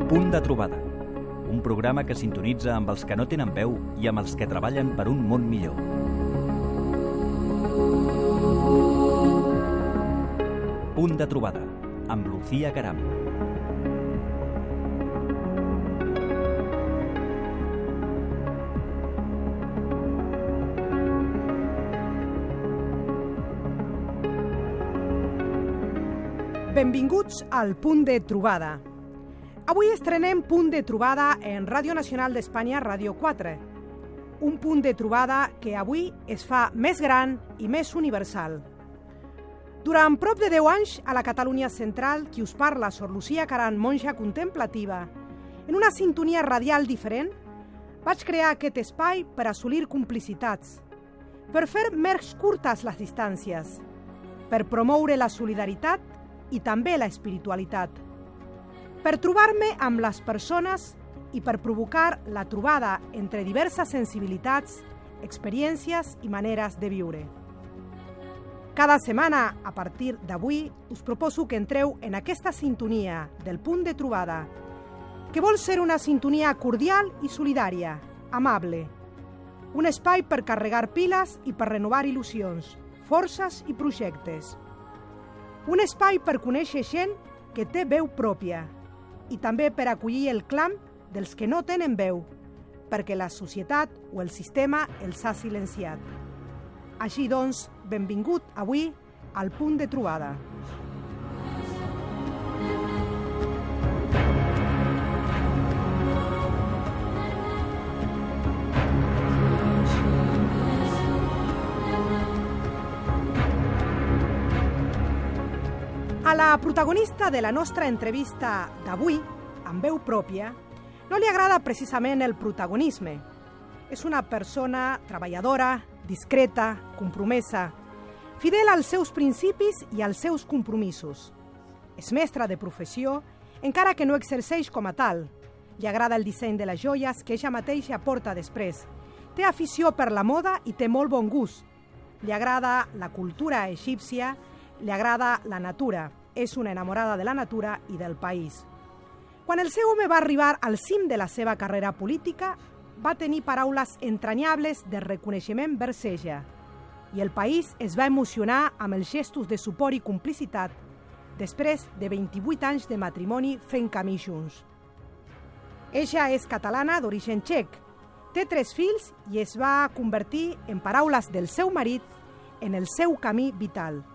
Punt de trobada, un programa que sintonitza amb els que no tenen veu i amb els que treballen per un món millor. Punt de trobada, amb Lucía Caram. Benvinguts al Punt de Trobada. Avui estrenem Punt de Trobada en Ràdio Nacional d'Espanya, Ràdio 4. Un punt de trobada que avui es fa més gran i més universal. Durant prop de 10 anys, a la Catalunya central, qui us parla, Sor Lucía Caram, monja contemplativa, en una sintonia radial diferent, vaig crear aquest espai per assolir complicitats, per fer més curtes les distàncies, per promoure la solidaritat i també la espiritualitat, per trobar-me amb les persones i per provocar la trobada entre diverses sensibilitats, experiències i maneres de viure. Cada setmana, a partir d'avui, us proposo que entreu en aquesta sintonia del punt de trobada, que vol ser una sintonia cordial i solidària, amable, un espai per carregar piles i per renovar il·lusions, forces i projectes. Un espai per conèixer gent que té veu pròpia i també per acollir el clam dels que no tenen veu, perquè la societat o el sistema els ha silenciat. Així doncs, benvingut avui al Punt de Trobada. A la protagonista de la nostra entrevista d'avui, amb veu pròpia, no li agrada precisament el protagonisme. És una persona treballadora, discreta, compromesa, fidel als seus principis i als seus compromisos. És mestra de professió, encara que no exerceix com a tal. Li agrada el disseny de les joies que ella mateixa porta després. Té afició per la moda i té molt bon gust. Li agrada la cultura egípcia, li agrada la natura. És una enamorada de la natura i del país. Quan el seu home va arribar al cim de la seva carrera política, va tenir paraules entranyables de reconeixement vers ella, i el país es va emocionar amb els gestos de suport i complicitat després de 28 anys de matrimoni fent camí junts. Ella és catalana d'origen txec, té 3 fills i es va convertir, en paraules del seu marit, en el seu camí vital.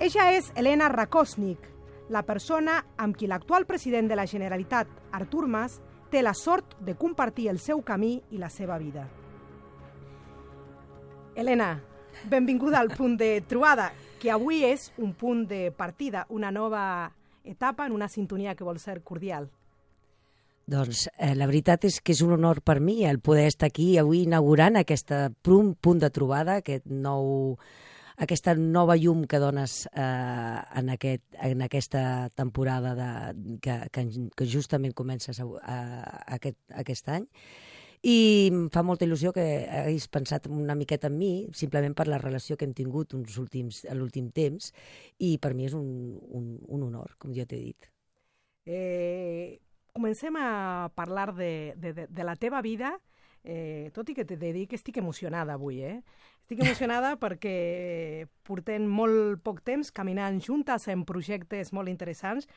Ella és Elena Rakosnik, la persona amb qui l'actual president de la Generalitat, Artur Mas, té la sort de compartir el seu camí i la seva vida. Elena, benvinguda al Punt de Trobada, que avui és un punt de partida, una nova etapa en una sintonia que vol ser cordial. Doncs la veritat és que és un honor per mi el poder estar aquí avui inaugurant aquesta punt de trobada, aquesta nova llum que dones en aquesta temporada que justament comences aquest any. I em fa molta il·lusió que haguis pensat una miqueta en mi, simplement per la relació que hem tingut l'últim temps, i per mi és un honor, com ja t'he dit. Comencem a parlar de la teva vida, tot i que t'he de dir que estic emocionada avui, Estic emocionada perquè portem molt poc temps caminant juntes en projectes molt interessants,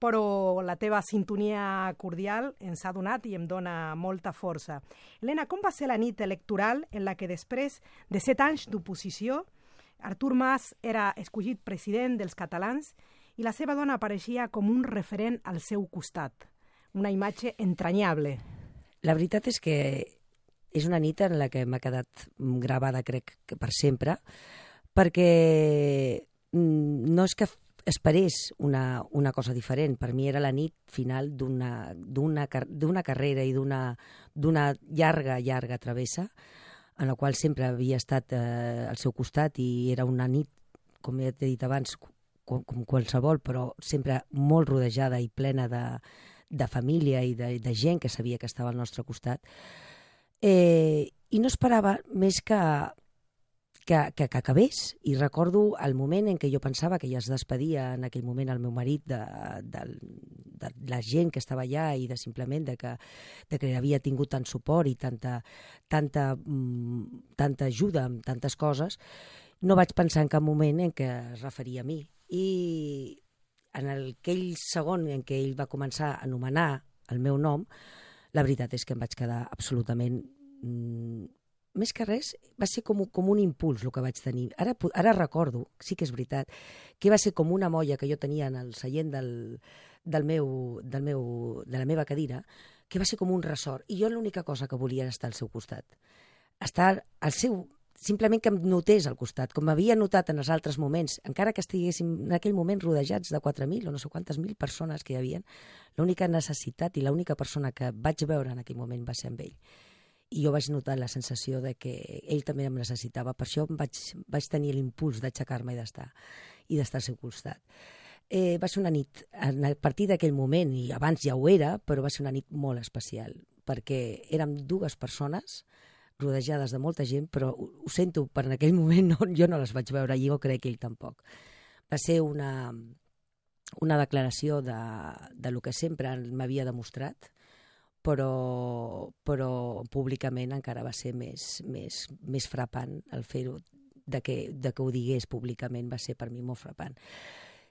però la teva sintonia cordial ens ha donat i em dona molta força. Elena, com va ser la nit electoral en la que després de 7 anys d'oposició, Artur Mas era escollit president dels catalans i la seva dona apareixia com un referent al seu costat? Una imatge entranyable. La veritat és que és una nit en la que m'ha quedat gravada, crec, que per sempre, perquè no és que esperés una cosa diferent. Per mi era la nit final d'una carrera i d'una llarga travessa, en la qual sempre havia estat al seu costat, i era una nit, com ja t'he dit abans, com qualsevol, però sempre molt rodejada i plena de família i de gent que sabia que estava al nostre costat. I no esperava més que que acabés. I recordo el moment en què jo pensava que ja es despedia en aquell moment el meu marit de la gent que estava allà i de simplement de que havia tingut tant suport i tanta ajuda amb tantes coses. No vaig pensar en cap moment en què es referia a mi. I en aquell segon en què ell va començar a anomenar el meu nom, la veritat és que em vaig quedar absolutament... Més que res, va ser com un impuls el que vaig tenir. Ara recordo, sí que és veritat, que va ser com una molla que jo tenia en el seient de la meva cadira, que va ser com un ressort. I jo l'única cosa que volia era estar al seu costat. Estar al seu... Simplement que em notés al costat, com m'havia notat en els altres moments, encara que estiguéssim en aquell moment rodejats de 4.000 o no sé quantes mil persones que hi havia, l'única necessitat i l'única persona que vaig veure en aquell moment va ser amb ell. I jo vaig notar la sensació de que ell també em necessitava. Per això vaig tenir l'impuls d'aixecar-me i d'estar al seu costat. Va ser una nit, a partir d'aquell moment, i abans ja ho era, però va ser una nit molt especial, perquè érem dues persones rodejades de molta gent, però ho sento, per en aquell moment jo no les vaig veure i jo crec que ell tampoc. Va ser una declaració de lo que sempre m'havia demostrat, però públicament encara va ser més frapant el fer-ho, de que ho digués públicament va ser per mi molt frapant.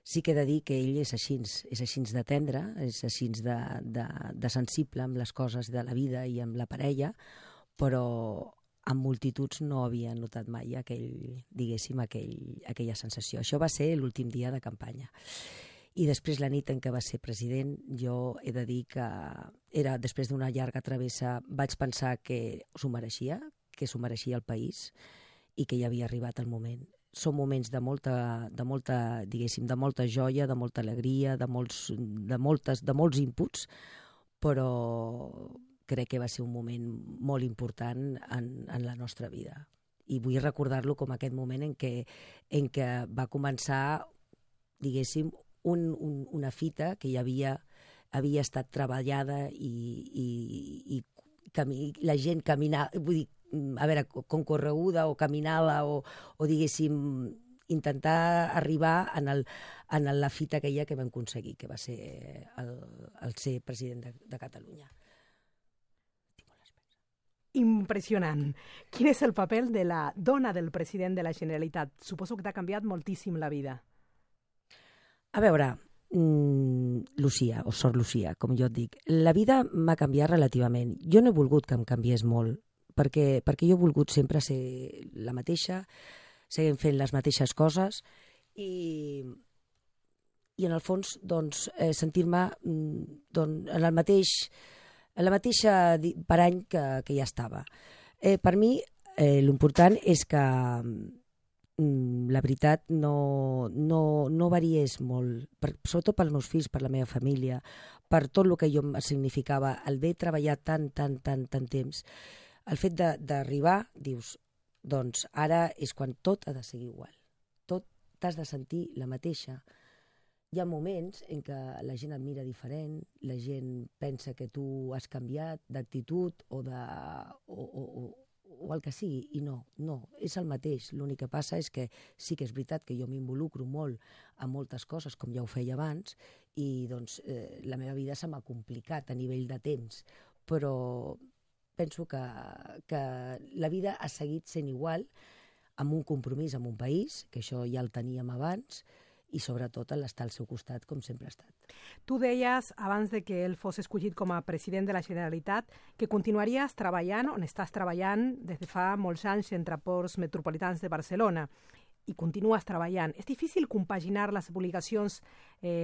Sí que he de dir que ell és així de tendre, és així de sensible amb les coses de la vida i amb la parella, però amb multituds no havia notat mai aquella sensació. Això va ser l'últim dia de campanya. I després, la nit en què va ser president, jo he de dir que era després d'una llarga travessa, vaig pensar que s'ho mereixia el país i que ja havia arribat el moment. Són moments de molta joia, de molta alegria, de molts inputs, però crec que va ser un moment molt important en la nostra vida. I vull recordar-lo com aquest moment en què va començar, diguéssim, una fita que ja havia estat treballada i la gent caminava, vull dir, a veure, concorreguda o caminava o diguéssim, intentar arribar en la fita aquella que vam aconseguir, que va ser el ser president de Catalunya. Impressionant. Quin és el paper de la dona del president de la Generalitat? Suposo que t'ha canviat moltíssim la vida. A veure, Lucía, o Sor Lucía, com jo et dic, la vida m'ha canviat relativament. Jo no he volgut que em canviés molt, perquè jo he volgut sempre ser la mateixa, seguint fent les mateixes coses i en el fons doncs, sentir-me en la mateixa parany que ja estava. Per mi, l'important és que la veritat no variés molt, sobretot pels meus fills, per la meva família, per tot el que jo significava, el haver treballat tant temps, el fet d'arribar, dius, doncs ara és quan tot ha de ser igual, tot t'has de sentir la mateixa. Hi ha moments en què la gent et mira diferent, la gent pensa que tu has canviat d'actitud o el que sigui, i no, és el mateix. L'únic que passa és que sí que és veritat que jo m'involucro molt en moltes coses, com ja ho feia abans, i doncs la meva vida se m'ha complicat a nivell de temps, però penso que la vida ha seguit sent igual, amb un compromís amb un país, que això ja el teníem abans, i sobretot l'estar al seu costat, com sempre ha estat. Tu deies, abans de que ell fos escollit com a president de la Generalitat, que continuaries treballant on estàs treballant des de fa molts anys entre ports metropolitans de Barcelona, i continues treballant. És difícil compaginar les obligacions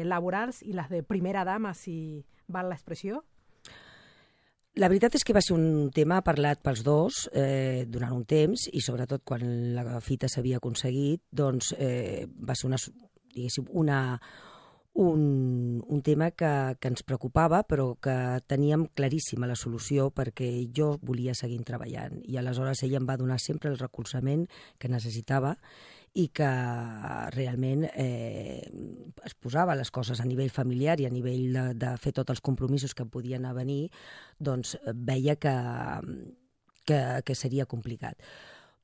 laborals i les de primera dama, si val l'expressió? La veritat és que va ser un tema parlat pels dos durant un temps, i sobretot quan la fita s'havia aconseguit, doncs va ser un tema que ens preocupava, però que teníem claríssima la solució, perquè jo volia seguir treballant, i aleshores ella em va donar sempre el recolzament que necessitava i que realment es posava les coses a nivell familiar i a nivell de fer tots els compromisos que podien venir, doncs veia que seria complicat.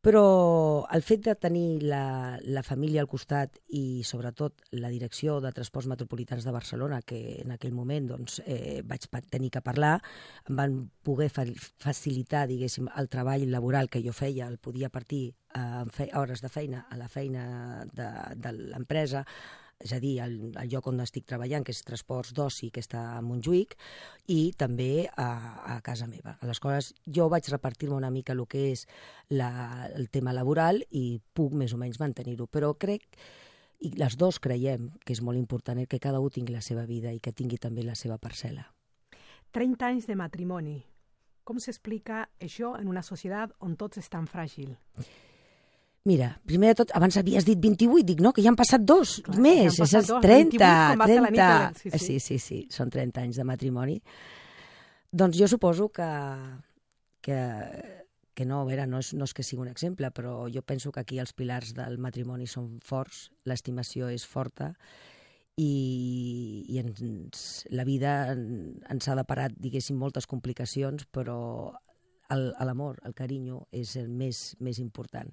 Però el fet de tenir la família al costat i sobretot la direcció de Transports Metropolitans de Barcelona, que en aquell moment doncs, vaig tenir que parlar, em van poder facilitar, diguéssim, el treball laboral que jo feia, el podia partir hores de feina a la feina de l'empresa, és a dir, el lloc on estic treballant, que és Transports d'Oci, que està a Montjuïc, i també a casa meva. Aleshores, jo vaig repartir-me una mica el que és el tema laboral i puc més o menys mantenir-ho. Però crec, i les dos creiem que és molt important, que cada un tingui la seva vida i que tingui també la seva parcel·la. 30 anys de matrimoni. Com s'explica això en una societat on tots és tan fràgil? Mira, primer de tot, abans havies dit 28, dic, no, que ja han passat dos més, ja és 30, 30. Sí, són 30 anys de matrimoni. Doncs jo suposo que no, a veure, no és que sigui un exemple, però jo penso que aquí els pilars del matrimoni són forts, l'estimació és forta i la vida ens ha deparat, diguéssim, moltes complicacions, però l'amor, el carinyo és el més important.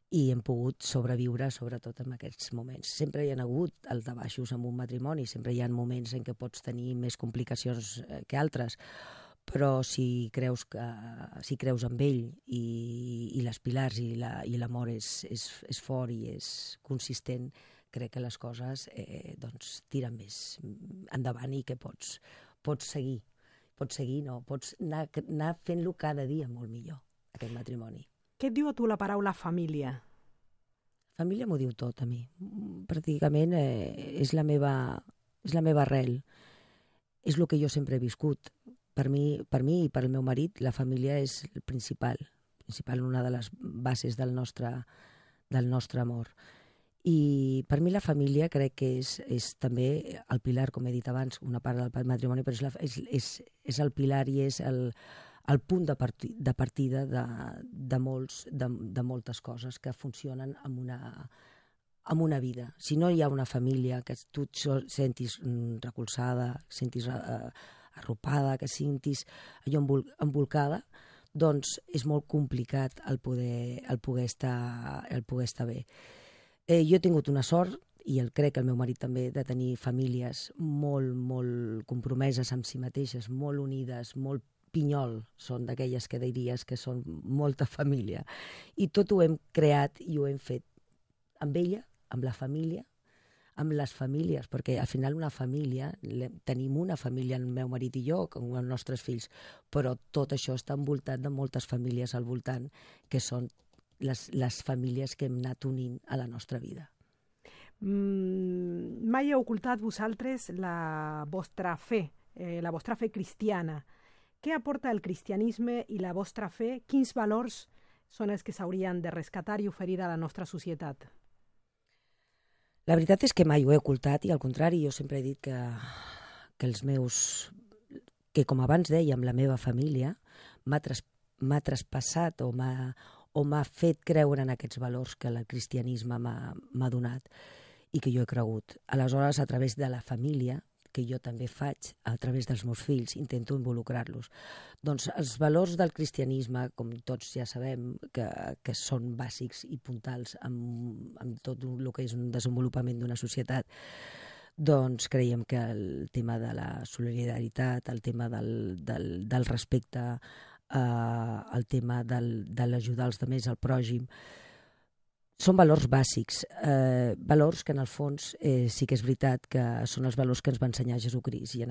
I hem pogut sobreviure, sobretot en aquests moments. Sempre hi ha hagut altabaixos en un matrimoni, sempre hi ha moments en què pots tenir més complicacions que altres, però si creus en ell i les pilars i l'amor és fort i és consistent, crec que les coses tiren més endavant i que pots seguir. Pots seguir, no? Pots anar fent-lo cada dia molt millor, aquest matrimoni. Què et diu a tu la paraula família? Família m'ho diu tot a mi. Pràcticament és la meva arrel. És el que jo sempre he viscut. Per mi i per al meu marit, la família és el principal, una de les bases del nostre amor. I per mi la família crec que és també el pilar, com he dit abans, una part del matrimoni, però és el pilar i és el punt de partida de moltes coses que funcionen en una vida. Si no hi ha una família que tu et sentis recolzada, sentis arropada, que sentis allò embolcada, doncs és molt complicat el poder estar bé. Jo he tingut una sort, i crec que el meu marit també, de tenir famílies molt, molt compromeses amb si mateixes, molt unides, molt pinyol, són d'aquelles que diries que són molta família. I tot ho hem creat i ho hem fet amb ella, amb la família, amb les famílies, perquè al final una família, tenim una família, el meu marit i jo, com els nostres fills, però tot això està envoltat de moltes famílies al voltant, que són les famílies que hem anat unint a la nostra vida. Mai heu ocultat vosaltres la vostra fe cristiana. Què aporta el cristianisme i la vostra fe? Quins valors són els que s'haurien de rescatar i oferir a la nostra societat? La veritat és que mai ho he ocultat i al contrari, jo sempre he dit que com abans dèiem, la meva família m'ha traspassat o m'ha fet creure en aquests valors que el cristianisme m'ha donat i que jo he cregut. Aleshores, a través de la família, que jo també faig a través dels meus fills, intento involucrar-los. Doncs els valors del cristianisme, com tots ja sabem, que són bàsics i puntals en tot el que és un desenvolupament d'una societat, doncs creiem que el tema de la solidaritat, el tema del respecte, el tema de l'ajudar els altres, el pròxim, són valors bàsics, valors que en el fons sí que és veritat que són els valors que ens va ensenyar Jesucrist i en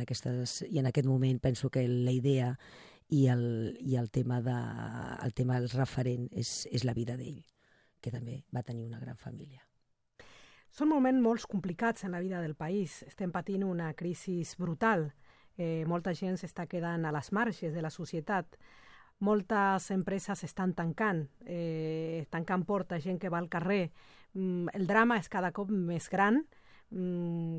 aquest moment penso que la idea i el tema del referent és la vida d'ell, que també va tenir una gran família. Són moments molt complicats en la vida del país. Estem patint una crisi brutal. Molta gent s'està quedant a les marges de la societat. Moltes empreses estan tancant portes, gent que va al carrer. El drama és cada cop més gran.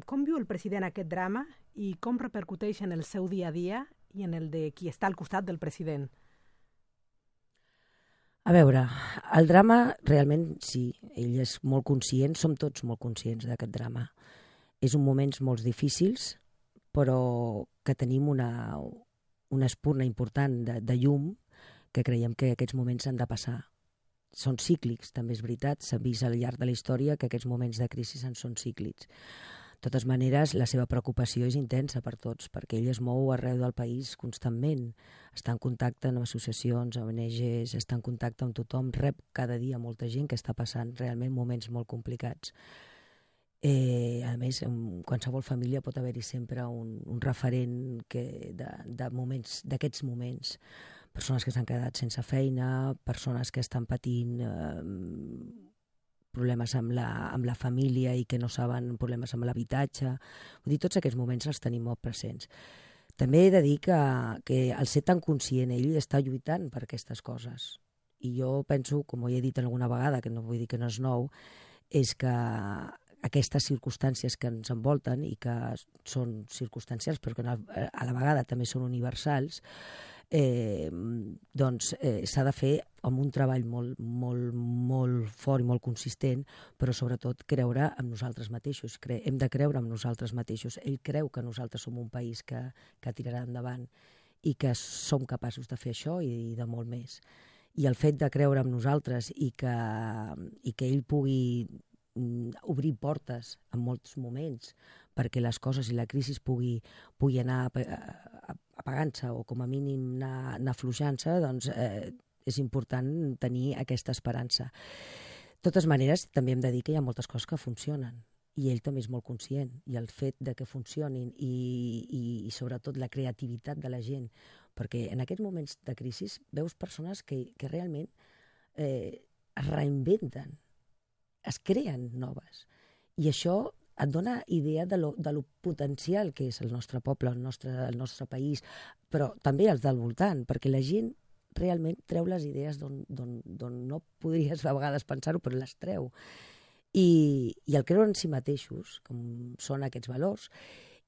Com viu el president aquest drama i com repercuteix en el seu dia a dia i en el de qui està al costat del president? A veure, el drama realment sí, ell és molt conscient, som tots molt conscients d'aquest drama. És un moments molt difícils, però que tenim una espurna important de llum que creiem que aquests moments s'han de passar són cíclics, també és veritat, s'ha vist al llarg de la història que aquests moments de crisi en són cíclics. De totes maneres, la seva preocupació és intensa per tots, perquè ell es mou arreu del país constantment, està en contacte amb associacions, amb ONGs, està en contacte amb tothom, rep cada dia molta gent que està passant realment moments molt complicats. A més, en qualsevol família pot haver-hi sempre un referent d'aquests moments. Persones que s'han quedat sense feina, persones que estan patint problemes amb la família i que no saben, problemes amb l'habitatge. Vull dir, tots aquests moments els tenim molt presents. També he de dir que al ser tan conscient, ell està lluitant per aquestes coses. I jo penso, com ho he dit alguna vegada, que no vull dir que no és nou, és que aquestes circumstàncies que ens envolten i que són circumstancials però que a la vegada també són universals, doncs s'ha de fer amb un treball molt fort i molt consistent, però sobretot creure en nosaltres mateixos. Hem de creure en nosaltres mateixos. Ell creu que nosaltres som un país que tirarà endavant i que som capaços de fer això i de molt més. I el fet de creure en nosaltres i que ell pugui obrir portes en molts moments perquè les coses i la crisi pugui anar apagant-se o com a mínim anar afluixant-se, doncs és important tenir aquesta esperança. De totes maneres, també hem de dir que hi ha moltes coses que funcionen i ell també és molt conscient, i el fet de que funcionin i sobretot la creativitat de la gent, perquè en aquests moments de crisi veus persones que realment es reinventen, es creen noves, i això et dona idea de lo potencial que és el nostre poble, el nostre país, però també els del voltant, perquè la gent realment treu les idees d'on no podries a vegades pensar-ho, però les treu. I el creure en si mateixos, com són aquests valors,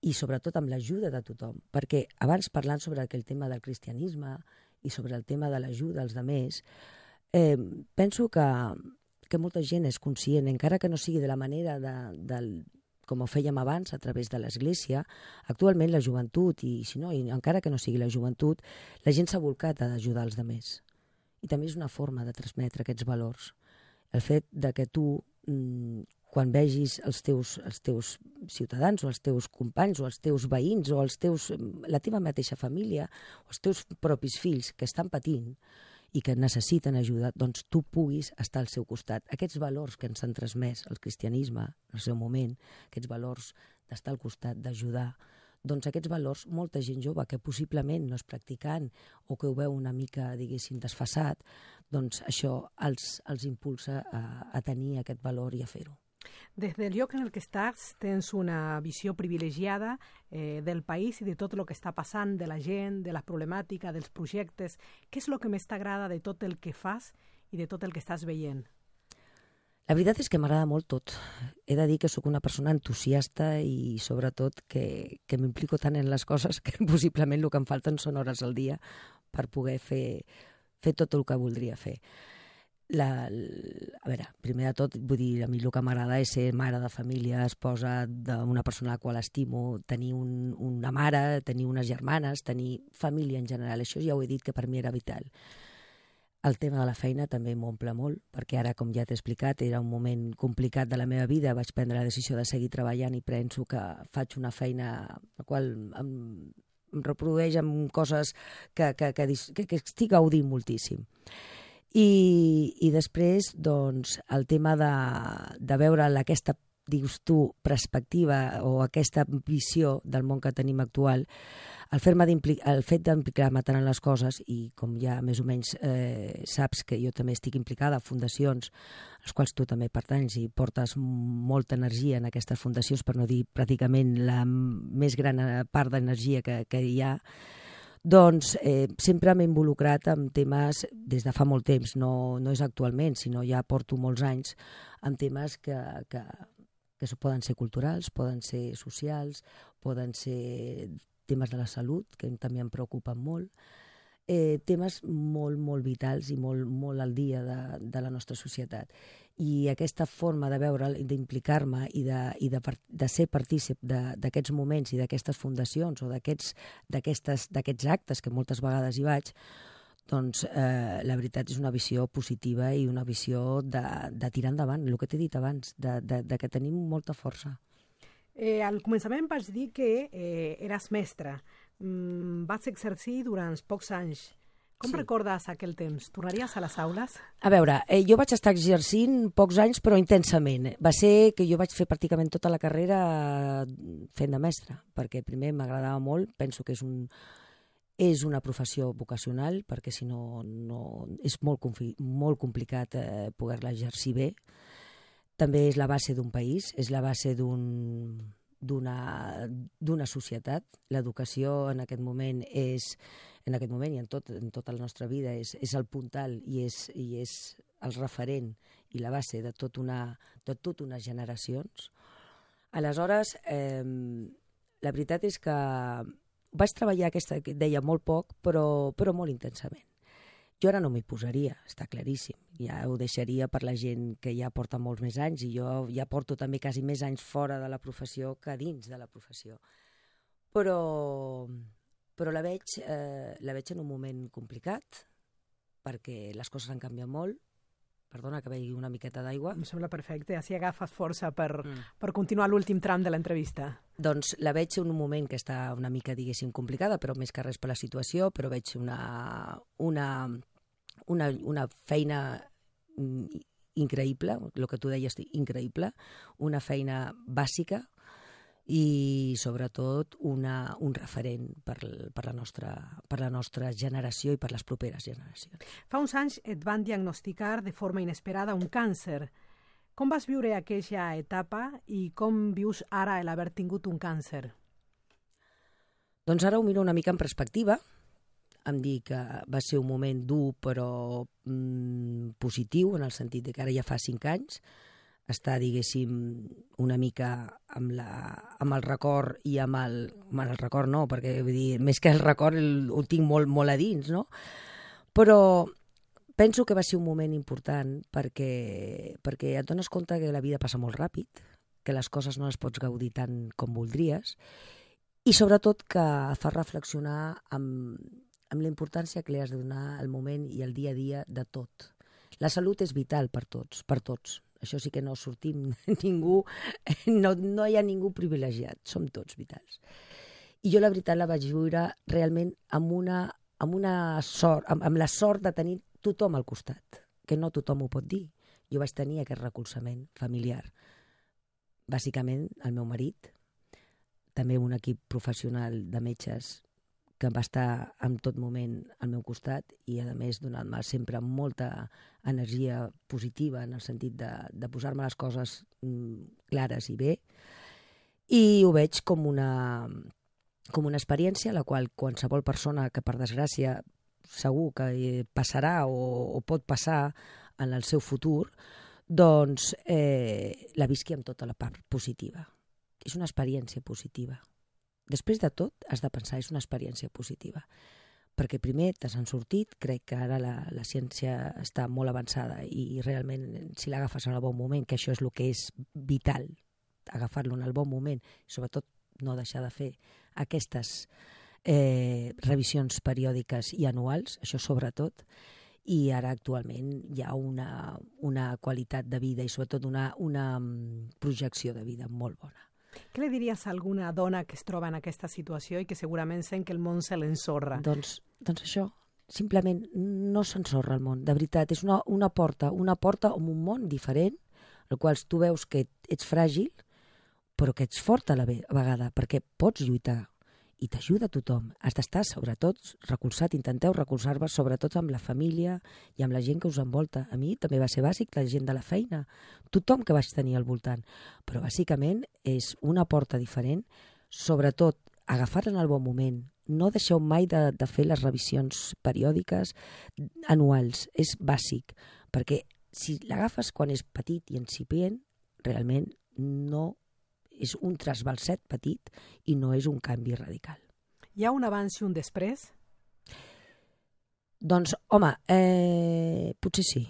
i sobretot amb l'ajuda de tothom, perquè abans parlant sobre aquell tema del cristianisme i sobre el tema de l'ajuda als altres, penso que molta gent és conscient, encara que no sigui de la manera com ho fèiem abans, a través de l'Església. Actualment la joventut, i si no, encara que no sigui la joventut, la gent s'ha volcat a ajudar els altres. I també és una forma de transmetre aquests valors. El fet de que tu, quan vegis els teus ciutadans o els teus companys o els teus veïns o la teva mateixa família o els teus propis fills que estan patint i que necessiten ajuda, doncs tu puguis estar al seu costat. Aquests valors que ens han transmès el cristianisme en el seu moment, aquests valors d'estar al costat, d'ajudar, doncs aquests valors, molta gent jove que possiblement no és practicant o que ho veu una mica, diguéssim, desfasat, doncs això els impulsa a tenir aquest valor i a fer-ho. Des del lloc en el que estàs, tens una visió privilegiada del país i de tot el que està passant, de la gent, de la problemàtica, dels projectes. Què és el que més t'agrada de tot el que fas i de tot el que estàs veient? La veritat és que m'agrada molt tot. He de dir que sóc una persona entusiasta i sobretot que m'implico tant en les coses que possiblement el que em falten són hores al dia per poder fer tot el que voldria fer. A veure, primer de tot, vull dir, a mi el que m'agrada és ser mare de família, esposa d'una persona a la qual estimo, tenir una mare, tenir unes germanes, tenir família en general. Això ja ho he dit que per mi era vital. El tema de la feina també m'omple molt, perquè ara, com ja t'he explicat, era un moment complicat de la meva vida, vaig prendre la decisió de seguir treballant i penso que faig una feina la qual em reprodueix amb coses que estic gaudint moltíssim. I després, doncs, el tema de veure aquesta, dius tu, perspectiva o aquesta visió del món que tenim actual, el fet d'implicar-me tant en les coses, i com ja més o menys saps que jo també estic implicada a fundacions, als quals tu també pertanys i portes molta energia en aquestes fundacions, per no dir pràcticament la més gran part d'energia que hi ha, doncs sempre m'he involucrat en temes des de fa molt temps, no és actualment, sinó ja porto molts anys, en temes que poden ser culturals, poden ser socials, poden ser temes de la salut, que també em preocupen molt, temes molt vitals i molt al dia de la nostra societat. I aquesta forma de veure, d'implicar-me i de ser partícip d'aquests moments i d'aquestes fundacions o d'aquests actes que moltes vegades hi vaig, doncs la veritat és una visió positiva i una visió de tirar endavant, el que t'he dit abans, de que tenim molta força. Al començament vaig dir que eres mestra. Vas exercir durant pocs anys. Com recordes aquell temps? Tornaries a les aules? A veure, jo vaig estar exercint pocs anys, però intensament. Va ser que jo vaig fer pràcticament tota la carrera fent de mestra, perquè primer m'agradava molt, penso que és una professió vocacional, perquè si no és molt complicat poder-la exercir bé. També és la base d'un país, és la base d'una societat. L'educació en aquest moment i en tota la nostra vida és el puntal i és el referent i la base de tot unes generacions. Aleshores, la veritat és que vaig treballar aquesta, que deia, molt poc, però molt intensament. Jo ara no m'hi posaria, està claríssim. Ja ho deixaria per la gent que ja porta molts més anys i jo ja porto també quasi més anys fora de la professió que dins de la professió. Però la veig en un moment complicat perquè les coses han canviat molt. Perdona que begui una miqueta d'aigua. Em sembla perfecte, així agafes força per continuar l'últim tram de l'entrevista. Doncs la veig en un moment que està una mica, diguéssim, complicada, però més que res per la situació, però veig una feina increïble, el que tu deies, increïble, una feina bàsica i sobretot un referent per la nostra generació i per les properes generacions. Fa uns anys et van diagnosticar de forma inesperada un càncer. Com vas viure aquella etapa i com vius ara l'haver tingut un càncer? Doncs ara ho miro una mica en perspectiva. Em dic que va ser un moment dur però positiu, en el sentit que ara ja fa 5 anys, està, diguéssim, una mica amb el record i amb el record no, perquè vull dir, més que el record ho tinc molt a dins, no? Però penso que va ser un moment important perquè et dones compte que la vida passa molt ràpid, que les coses no les pots gaudir tant com voldries i sobretot que et fa reflexionar amb la importància que li has de donar al moment i al dia a dia de tot. La salut és vital per tots. Això sí que no sortim ningú, no hi ha ningú privilegiat, som tots vitals. I jo la veritat la vaig viure realment amb la sort de tenir tothom al costat, que no tothom ho pot dir. Jo vaig tenir aquest recolzament familiar. Bàsicament el meu marit, també un equip professional de metges que va estar en tot moment al meu costat i, a més, donant-me sempre molta energia positiva en el sentit de posar-me les coses clares i bé. I ho veig com una experiència a la qual qualsevol persona que, per desgràcia, segur que passarà o pot passar en el seu futur, doncs la visqui amb tota la part positiva. És una experiència positiva. Després de tot, has de pensar, és una experiència positiva. Perquè primer te n'han sortit, crec que ara la ciència està molt avançada i realment si l'agafes en el bon moment, que això és el que és vital, agafar-lo en el bon moment, sobretot no deixar de fer aquestes revisions periòdiques i anuals, això sobretot, i ara actualment hi ha una qualitat de vida i sobretot una projecció de vida molt bona. Què li diries a alguna dona que es troba en aquesta situació i que segurament sent que el món se l'ensorra? Doncs això, simplement no s'ensorra el món, de veritat. És una porta amb un món diferent, el qual tu veus que ets fràgil, però que ets fort a la vegada, perquè pots lluitar i t'ajuda tothom. Has d'estar, sobretot, recolzat, intenteu recolzar-vos, sobretot amb la família i amb la gent que us envolta. A mi també va ser bàsic la gent de la feina, tothom que vaig tenir al voltant. Però bàsicament és una porta diferent, sobretot agafar-la en el bon moment. No deixeu mai de fer les revisions periòdiques anuals, és bàsic, perquè si l'agafes quan és petit i incipient, realment no és un trasbalset petit i no és un canvi radical. Hi ha un abans i un després? Doncs, home, potser sí.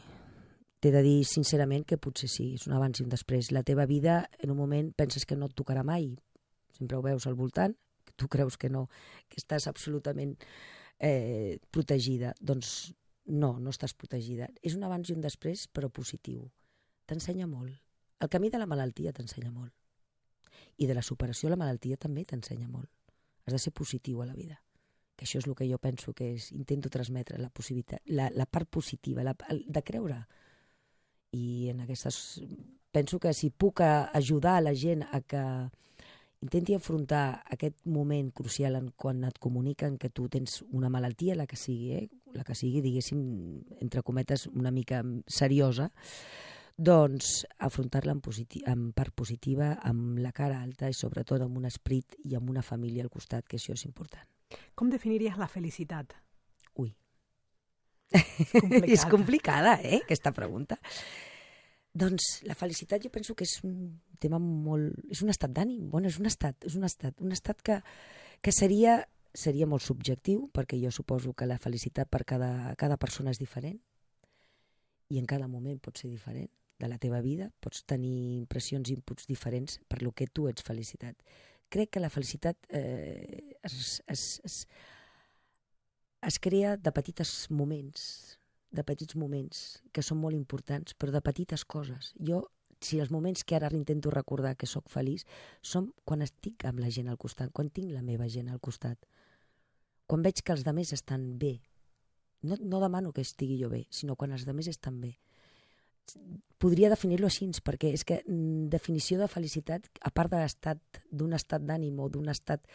T'he de dir sincerament que potser sí, és un abans i un després. La teva vida, en un moment, penses que no et tocarà mai. Sempre ho veus al voltant, que tu creus que no, que estàs absolutament protegida. Doncs no estàs protegida. És un abans i un després, però positiu. T'ensenya molt. El camí de la malaltia t'ensenya molt. I de la superació a la malaltia també t'ensenya molt. Has de ser positiu a la vida. Que això és el que jo penso que intento transmetre, la part positiva, de creure. I en aquestes... Penso que si puc ajudar a la gent a que intenti afrontar aquest moment crucial quan et comuniquen que tu tens una malaltia, la que sigui, diguéssim, entre cometes, una mica seriosa, doncs afrontar-la amb part positiva, amb la cara alta i sobretot amb un esperit i amb una família al costat, que això és important. Com definiries la felicitat? Ui. És complicada, aquesta pregunta. Doncs la felicitat jo penso que és un tema molt... És un estat d'ànim, és un estat que seria molt subjectiu, perquè jo suposo que la felicitat per cada persona és diferent i en cada moment pot ser diferent de la teva vida, pots tenir impressions i inputs diferents per lo que tu ets felicitat. Crec que la felicitat es crea de petits moments que són molt importants, però de petites coses. Jo, si els moments que ara intento recordar que sóc feliç, són quan estic amb la gent al costat, quan tinc la meva gent al costat, quan veig que els altres estan bé. No demano que estigui jo bé, sinó quan els altres estan bé. Podria definir-lo així, perquè és que definició de felicitat, a part d'un estat d'ànim o d'un estat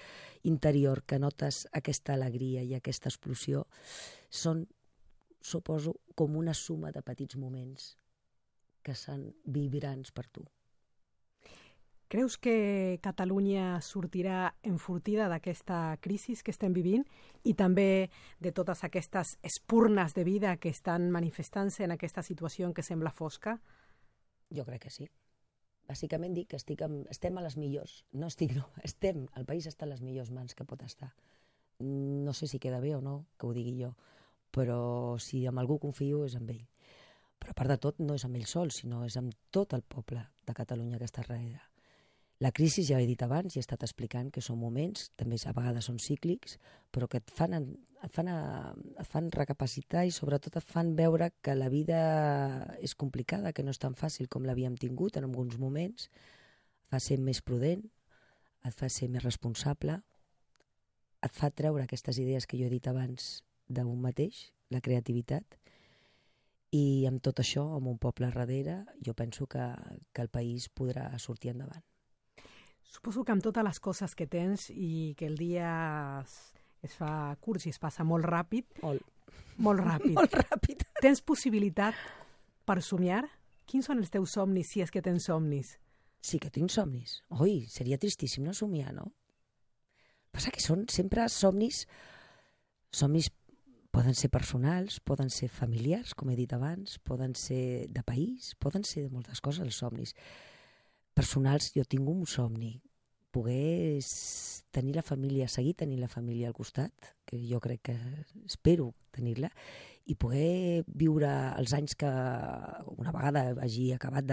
interior que notes aquesta alegria i aquesta explosió, són, suposo, com una suma de petits moments que són vibrants per tu. Creus que Catalunya sortirà enfortida d'aquesta crisi que estem vivint i també de totes aquestes espurnes de vida que estan manifestant-se en aquesta situació en què sembla fosca? Jo crec que sí. Bàsicament dic que estem a les millors. El país està a les millors mans que pot estar. No sé si queda bé o no, que ho digui jo, però si amb algú confio és amb ell. Però a part de tot no és amb ell sol, sinó és amb tot el poble de Catalunya que està darrere. La crisi, ja he dit abans, i he estat explicant que són moments, també a vegades són cíclics, però que et fan recapacitar i sobretot et fan veure que la vida és complicada, que no és tan fàcil com l'havíem tingut en alguns moments. Et fa ser més prudent, et fa ser més responsable, et fa treure aquestes idees que jo he dit abans d'un mateix, la creativitat, i amb tot això, amb un poble darrere, jo penso que el país podrà sortir endavant. Suposo que amb totes les coses que tens i que el dia es fa curt i es passa molt ràpid. Molt ràpid. Tens possibilitat per somiar? Quins són els teus somnis, si és que tens somnis? Sí que tinc somnis. Ui, seria tristíssim no somiar, no? Passa que són sempre somnis... Somnis poden ser personals, poden ser familiars, com he dit abans, poden ser de país, poden ser de moltes coses, els somnis. Personals, jo tinc un somni, poder tenir la família, seguir tenint la família al costat, que jo crec que espero tenir-la, i poder viure els anys que una vegada hagi acabat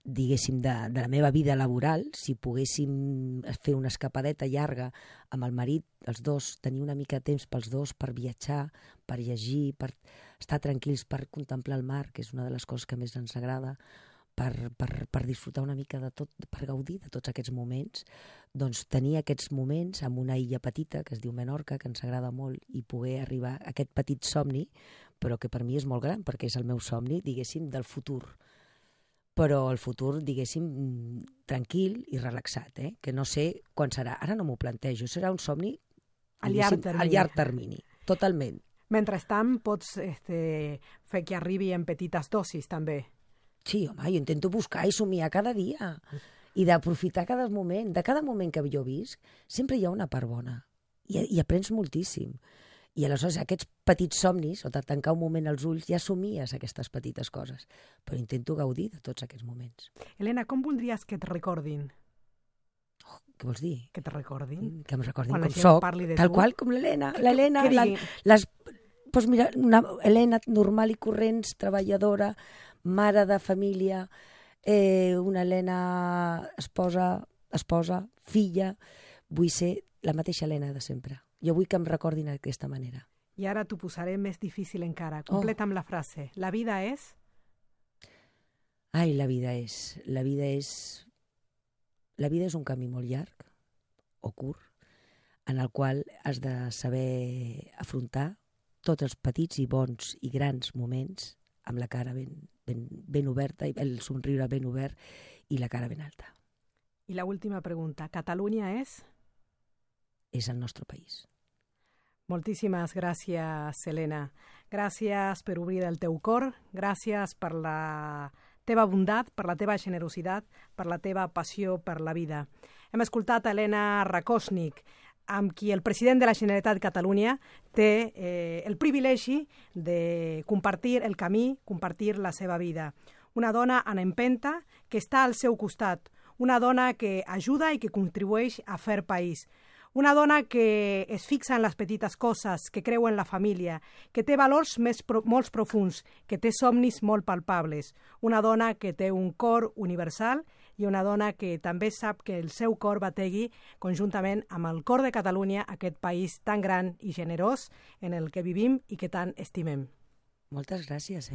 diguéssim, de la meva vida laboral, si poguéssim fer una escapadeta llarga amb el marit, els dos, tenir una mica de temps pels dos per viatjar, per llegir, per estar tranquils, per contemplar el mar, que és una de les coses que més ens agrada, per disfrutar una mica de tot, per gaudir de tots aquests moments, doncs tenir aquests moments amb una illa petita que es diu Menorca, que ens agrada molt, i poder arribar a aquest petit somni, però que per mi és molt gran, perquè és el meu somni, diguéssim, del futur. Però el futur, diguéssim, tranquil i relaxat, que no sé quan serà. Ara no m'ho plantejo, serà un somni a llarg termini. Totalment. Mentrestant, pots fer que arribi en petites dosis, també. Sí, home, jo intento buscar i somiar cada dia i d'aprofitar cada moment. De cada moment que jo visc, sempre hi ha una part bona i aprens moltíssim. I aleshores aquests petits somnis, o de tancar un moment els ulls, ja somies aquestes petites coses. Però intento gaudir de tots aquests moments. Elena, com voldries que et recordin? Oh, què vols dir? Que te recordin? Que em recordin quan com soc, tal tu? Qual com l'Helena. L'Helena, doncs mira, una Helena normal i corrents, treballadora, mare de família, una Helena esposa, filla. Vull ser la mateixa Helena de sempre. Jo vull que em recordin d'aquesta manera. I ara t'ho posaré més difícil encara. Completa amb la frase. La vida és... Ai, la vida és un camí molt llarg o curt en el qual has de saber afrontar tots els petits i bons i grans moments amb la cara ben oberta, el somriure ben obert i la cara ben alta. I la última pregunta. Catalunya és? És el nostre país. Moltíssimes gràcies, Helena. Gràcies per obrir el teu cor, gràcies per la teva bondat, per la teva generositat, per la teva passió per la vida. Hem escoltat Helena Rakosnik, amb qui el president de la Generalitat de Catalunya té el privilegi de compartir el camí, compartir la seva vida. Una dona en empenta que està al seu costat, una dona que ajuda i que contribueix a fer país. Una dona que es fixa en les petites coses, que creu en la família, que té valors molt profuns, que té somnis molt palpables. Una dona que té un cor universal i una dona que també sap que el seu cor bategui conjuntament amb el cor de Catalunya, aquest país tan gran i generós en el que vivim i que tant estimem. Moltes gràcies,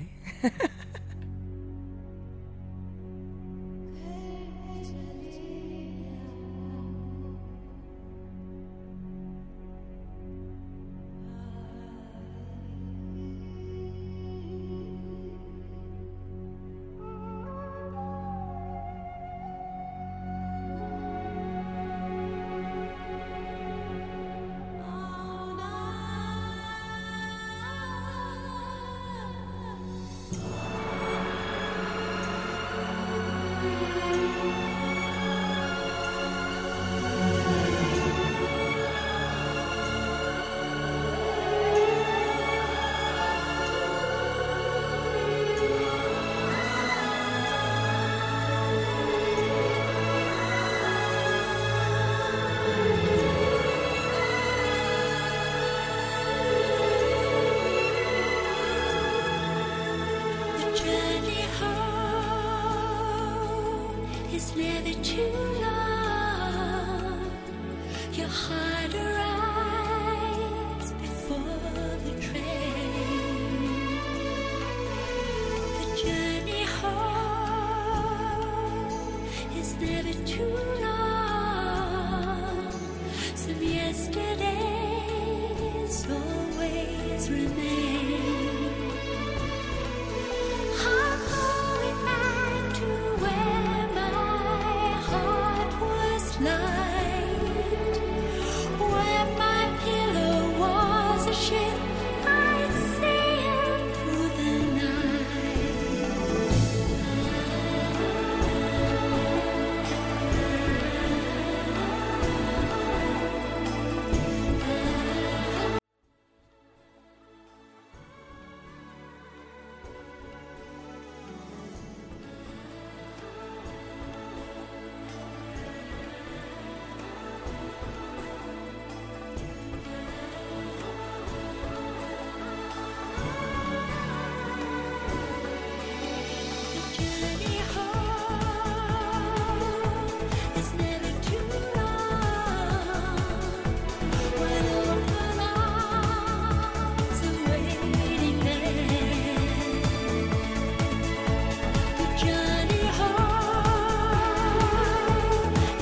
Yesterdays always remain.